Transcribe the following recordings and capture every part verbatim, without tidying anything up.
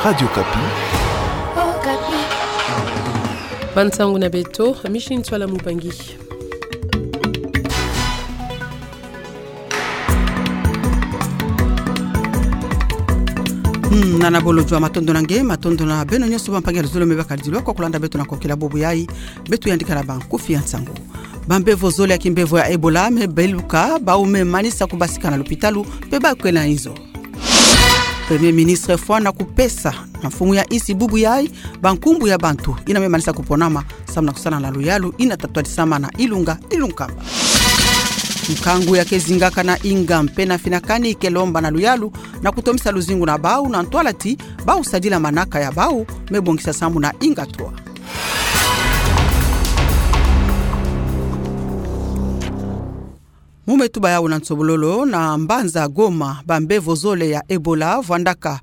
Radio Okapi. Bansangu na beto, Micheline Ntsoila Mubangi. Hmm, nana bolo jua matondo na nge, matondo na beno nyonso bampangi ya luzolo me bakala dilwa kwa kulanda beto na kokela bubu yayi, beto yandika na bankufi ya nsangu. Bambevo zole ya kimbevo ya Ebola me beluka, bawu me manisa kubasika na lopitalo, mpe bawu ke na inzo. Premier ministre afwana kupesa na mfumu ya insi bubu yayi bankumbu ya bantu yina me manisa kuponama samu na kusala na luyalu yina tatwadisama na Ilunga Ilunkamba. Nkangu ya ke zingaka na inga mpe na finakani ke lomba na luyalu na kutomisa luzingu na bawu na ntwala ti bawu sadila manaka ya bawu me bongisa sambu na inga trois. Mu me tuba yawu na nsobololo, na mbanza Goma, bambevo zole ya Ebola vwandaka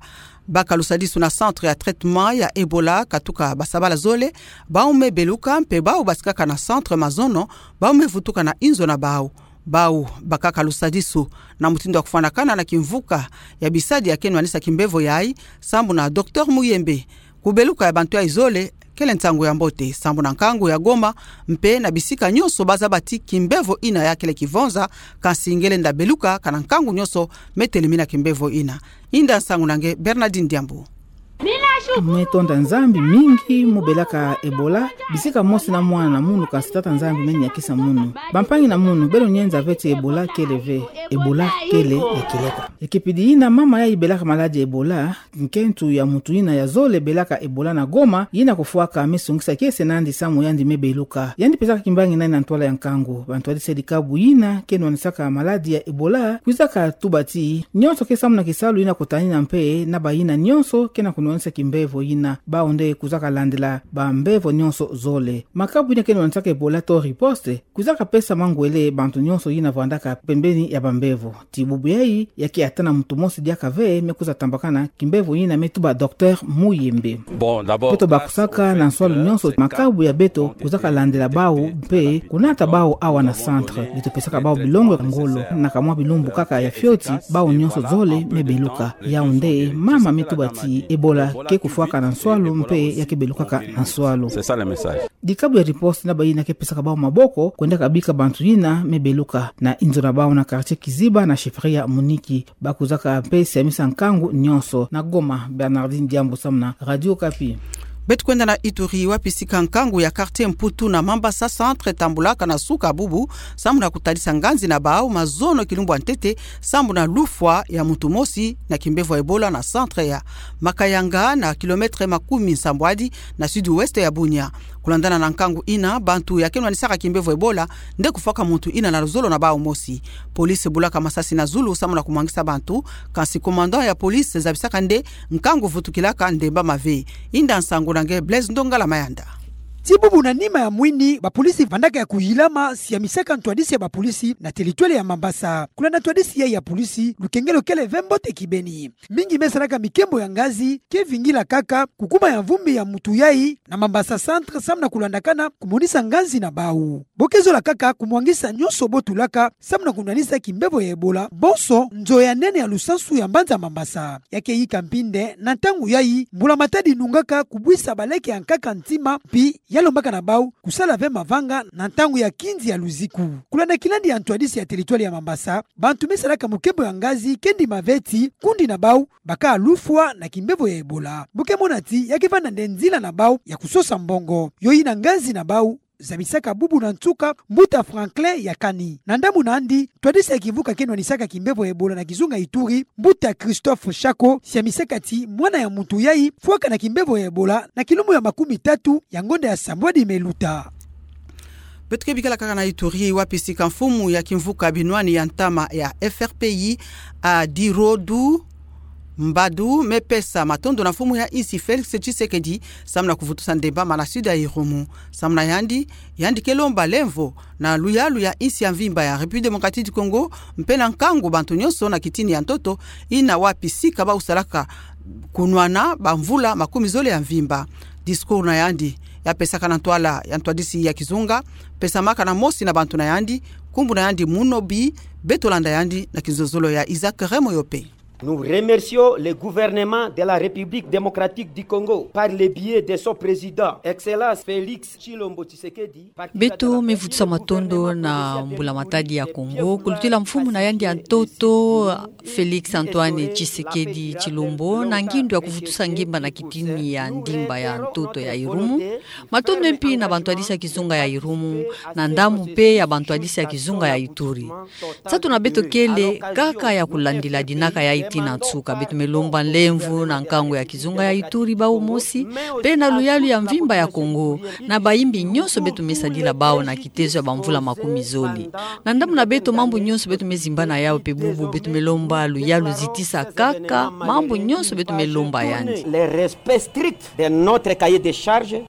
baka lusadisu na centre ya traitement ya Ebola, katuka basabala zole, bawu me beluka, mpe bawu basikaka na centre mazono, bawu me vutuka na inzo na bawu. Bawu bakaka lusadisu na mutindu ya kufwanakana na kimvuka ya bisadi ya ke nwanisa kimbevo yayi, sambu na Docteur Muyembe. Kubeluka ya bantu yayi zole kele nsangu ya mbote, sambu na nkangu ya Goma, mpe na bisika nyonso bazaba ti kimbevo yina ya kele kivonza, kansi ngelenda beluka ka na nkangu nyonso me telemina kimbevo yina. Yinda nsangu na nge Bernardine Diambu. Me tonda Nzambi mingi mu belaka Ebola, bisika mosi na mwana na munu, kansi Tata Nzambi me niakisa munu. Bampangi na munu, beno nyenza ve ti Ebola kele ve, Ebola kele ya kieleka. Ya kipidi yina mama yayi belaka maladi Ebola, nkentu ya muntu yina ya zole belaka Ebola na Goma, yina kufwaka me sungisa kiese nandi samu yandi me beluka. Yandi pesaka kimbangi nani na ntwala ya nkangu. Bantwadisi ya dikabu yina ke nwanisaka maladi ya Ebola kwizaka tuba ti nyonso ke samu na kisalu yina kutanina mpe na bayina nyonso ke na kunwanisa kimbevo yina. Bawu nde kwizaka landila bambevo nyonso zole. Makabu yina ke nwanisaka Ebola to riposte kwizaka pesa mangwele bantu nyonso yina vwandaka pembeni ya bambevo. Ti bubu yayi, ya ke ata na muntu mosi diaka ve me kwiza tambakana kimbevo yina, me tuba Docteur Muyembe. Bon, d'abord, beto bakusaka na nswalu nyonso, makabu ya beto kwizaka landila bawu mpe kunata bawu awa na centre. Beto pesaka bawu bilongo ya ngolo, na kamwa bilumbu kaka ya fioti, bawu nyonso zole me beluka. Yawu nde mama me tuba ti Ebola ke kufwaka na nswalu mpe ya ke belukaka na nswalu. C'est ça le message. Dikabu ya riposte na bayina ke pesaka bawu maboko kwendaka bika bantu yina me beluka na inzo na bawu na quartier Kiziba na chefferie ya Muniki. Bakwizaka mpe siamisa nkangu nyonso. Na Goma, Bernardine Diambu samu na Radio Okapi. Beto kwenda na Ituri, wapi sika nkangu ya quartier Mputu na Mambasa centre tambulaka na suka bubu, samu na kutadisa nganzi na bawu mazono kilumbu ya ntete, sambu na lufwa ya muntu mosi na kimbevo ya Ebola na centre ya Makayanga, na kilomètre makumi nsambwadi na sud-ouest ya Bunia. Kulandana na nkangu yina, bantu ya ke nwanisaka kimbevo Ebola nde kufwaka muntu yina na luzolo na bawu mosi. Police bulaka masasi na zulu samu na kumwangisa bantu, kansi commandant ya police zabisaka nde nkangu vutukilaka ndemba mave. Yinda nsangu na nge Blaise Ndongala Mayanda. Ti bubu na nima ya mwini, bapolisi vandaka ya kuyilama siamisaka ntwadisi ya bapolisi na territoire ya Mambasa. Kulanda ntwadisi yayi ya polisi, lukengelo kele ve mbote kibeni. Mingi me salaka mikembo ya ngazi ke vingila kaka kukuma ya mvumbi ya muntu yayi na Mambasa centre samu na kulandakana kumonisa nganzi na bawu. Bo ke zola kaka kumwangisa nyonso bo tulaka samu na kunwanisa kimbevo ya Ebola, bonso nzo ya nene ya lusansu ya mbanza Mambasa. Ya ke yika mpinde na ntangu yayi mbula matadi nungaka kubwisa baleke ya nkaka ntima, mpi ya lombaka na bawu kusala ve mavanga na ntangu ya kinzi ya luziku. Kulanda kilandi ya ntwadisi ya territoire ya Mambasa, bantu me salaka mukembo ya ngazi ke ndima ve ti kundi na bawu baka lufwa na kimbevo ya Ebola. Bo ke mona ti ya ke vanda nde nzila na bawu ya kusosa mbongo. Yo yina nganzi na bawu zabisaka bubu na nsuka, mbuta Franklin Yakani. Na ndambu na yandi, ntwadisi ya kimvuka ke nwanisaka kimbevo ya Ebola na kizunga Ituri, mbuta Christophe Shako, siamisaka ti mwana ya muntu yayi fwaka na kimbevo ya Ebola na kilumbu ya makumi tatu ya ngonda ya sambwadi me luta. Beto ke bikala kaka na Ituri, wapi sika mfumu ya kimvuka binwani ya ntama ya F R P I, Adirodu Mbadu, me pesa matondo na mfumu ya insi Félix Tshisekedi samu na kuvutusa ndemba mana sud ya Irumu. Samu na yandi, yandi ke lomba lemvo na luyalu ya insi ya mvimba ya République Démocratique du Congo, mpe na nkangu bantu nyonso na kitini ya ntoto yina wapi sika bawu salaka kunwana bamvula makumi zole ya mvimba. Discours na yandi ya pesaka na ntwala ya ntwadisi ya kizunga, pesamaka na mosi na bantu na yandi, nkumbu na yandi Munobi. Beto landa yandi na kizozolo ya Isaac Remoyope. Nous remercions le gouvernement de la République démocratique du Congo par le biais de son président, Excellence Félix Tshilombo Tshisekedi. Beto me vutusa matondo na mbulamatadi ya Kongo, kulutila mfumu na yandi ya ntoto, Félix Antoine Tshisekedi Tshilombo, na ngindu ya kuvutusa ngimba na kitini ya ndimba ya ntoto ya Irumu. Matondo mpi na bantwadisi ya kizunga ya Irumu, na ndambu mpe ya bantwadisi ya kizunga ya Ituri. Nsatu na beto kele kaka ya kulandila dinaka yayi tii na nsuka. Beto me lomba nlemvo na nkangu ya kizunga ya Ituri bawu mosi, mpe na luyalu ya mvimba ya Kongo, na bayimbi nyonso beto me sadila bawu na kitezo ya bamvula makumi zole. Na ndambu na beto, mambu nyonso beto me zimbana yawu mpe bubu, beto me lomba luyalu zitisa kaka mambu nyonso beto me lomba yandi. Le respect strict de notre cahier de charge.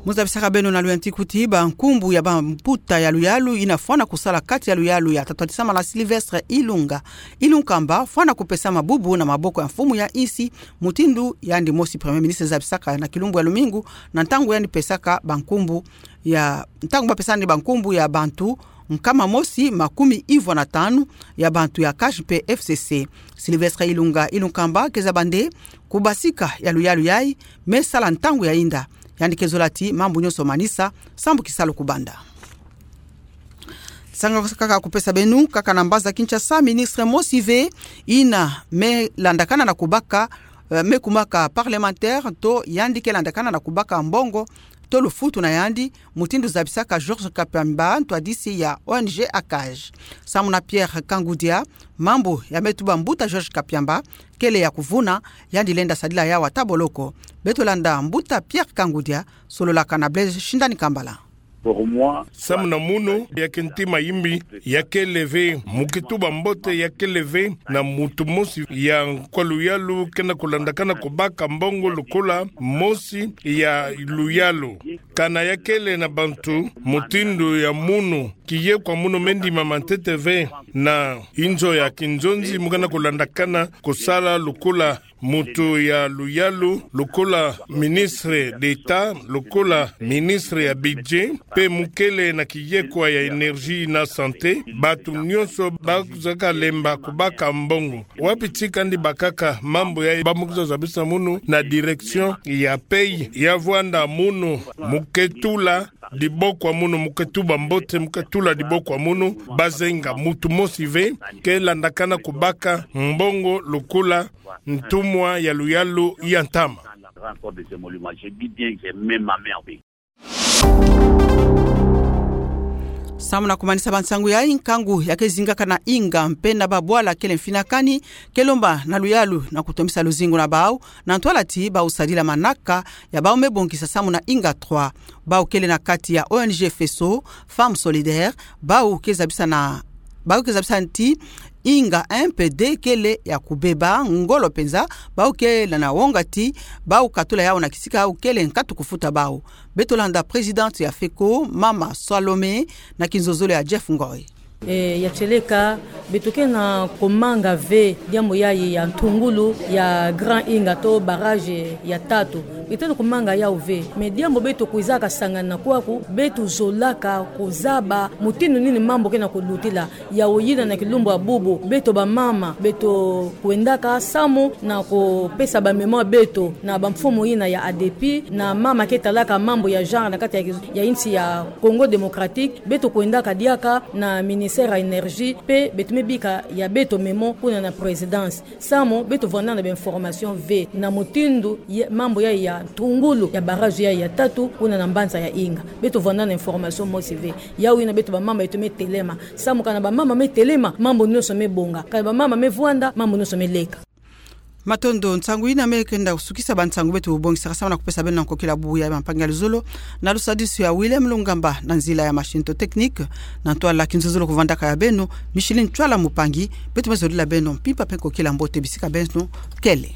Mu zabisaka beno na lweti kuti bankumbu ya bambuta ya luyalu yina fwana kusala kati ya luyalu ya tatwadisama na Sylvestre Ilunga Ilunkamba, fwana kupesama bubu na maboko ya mfumu ya insi, mutindu yandi mosi Premier Ministre zabisaka na kilumbu ya lumingu, na ntangu yandi pesaka bankumbu ya, ntangu bapesani bankumbu ya bantu nkama mosi makumi ivwa na tanu ya bantu ya CACH mpe FCC. Sylvestre Ilunga Ilunkamba ke zaba nde kubasika ya luyalu yayi me sala ntangu ya inda. Yandi ke zola ti mambu nyonso manisa sambu kisalu kubanda. Nsangu kaka kupesa beno, kaka na mbanza Kinshasa, ministre mosi ve yina me landakana na kubaka, eh, me kumaka parlementaire, to yandi ke landakana na kubaka mbongo to lufutu na yandi, mutindu zabisaka Georges Kapiamba, ntwadisi ya ONG ACAJ. Samu na Pierre Kangudia, mambu ya me tuba mbuta Georges Kapiamba kele ya kuvuna, yandi lenda sadila yawu ata boloko. Beto landa mbuta Pierre Kangudia, sololaka na Blaise Shindani Kambala. Samu na munu, ya ke ntima yimbi, ya kele ve, mu ke tuba mbote, ya kele ve na mutu mosi ya nkwa luyalu ke na kulandakana kubaka mbongo lukula mosi ya luyalu. Kana ya kele na bantu mutindu ya munu, kiyekwa munu me ndimama ntete ve na inzo ya kinzonzi mu ke na kulandakana kusala lukula mutu ya luyalu, lukula ministre d'État, lukula ministre ya budget, mpe mu kele na kiyekwa ya énergie na santé, bantu nyonso bakuzaka lemba kubaka mbongo. Wapi ti kandi bakaka mambu yayi? Ba mu kwiza zabisa munu na direction ya pays ya vwanda munu, mu ke tula diboko ya munu, mu ke tuba mbote, mu ke tula diboko ya munu, bazenga mutu mosi ve ke landakana kubaka mbongo lukula ntumwa ya luyalu ya ntama. Samu na kumanisa bansangu yayi, nkangu ya ke zingaka na inga mpe na babwala kele mfinakani, ke lomba na luyalu na kutombisa luzingu na bawu, na ntwala ti bawu sadila manaka ya bawu me bongisa samu na inga trois. Bawu kele na kati ya ONG Feso, Femmes Solidaires, bawu ke zabisa na, bawu ke zabisa ti inga un mpe deux kele ya kubeba ngolo mpenza, bawu kele na wonga ti bawu katula yawu na kisika yawu kele nkatu kufuta bawu. Beto landa présidente ya Feco, mama Salome, na kinzozolo ya Jeff Ngoy. E, ya tieleka, beto ke na kumanga ve diambu yayi ya ntungulu ya Grand Inga to barrage ya tatu. Beto ke na kumanga yawu ve. Mais diambu beto kwizaka sangana kwaku, beto zolaka kuzaba mutindu nini mambu ke na kulutila. Yawu yina na kilumbu ya bubu, beto bamama, beto kwendaka samu na kupesa ba mémoire beto na bamfumu yina ya ADEPI, na mama ke talaka mambu ya genre na kati ya, ya insi ya Congo Démocratique, beto kwendaka diaka na ministère ya énergie, mpe beto me bika ya beto mémo kuna na présidence. Samu beto vwanda na ba information ve na mutindu ya, mambu yayi ya ntungulu ya barrage yayi ya tatu kuna na mbanza ya Inga. Beto vwanda na information mosi ve. Yawu yina beto bamama beto me telema. Samu kana bamama me telema, mambu nyonso me bonga. Kana bamama me vwanda, mambu nyonso me leka. Matondo. Nsangu yina me kenda kusukisa bansangu beto bubongisaka samu na kupesa beno na nkokila bubu ya mampangi ya luzolo, na lusadisu ya Willem Lungamba, na nzila ya machine to technique, na ntwala kinzuzulu kuvandaka ya beno, Micheline Ntwala Mupangi. Beto me zolila beno mpimpa mpe nkokila mbote bisika beno kele.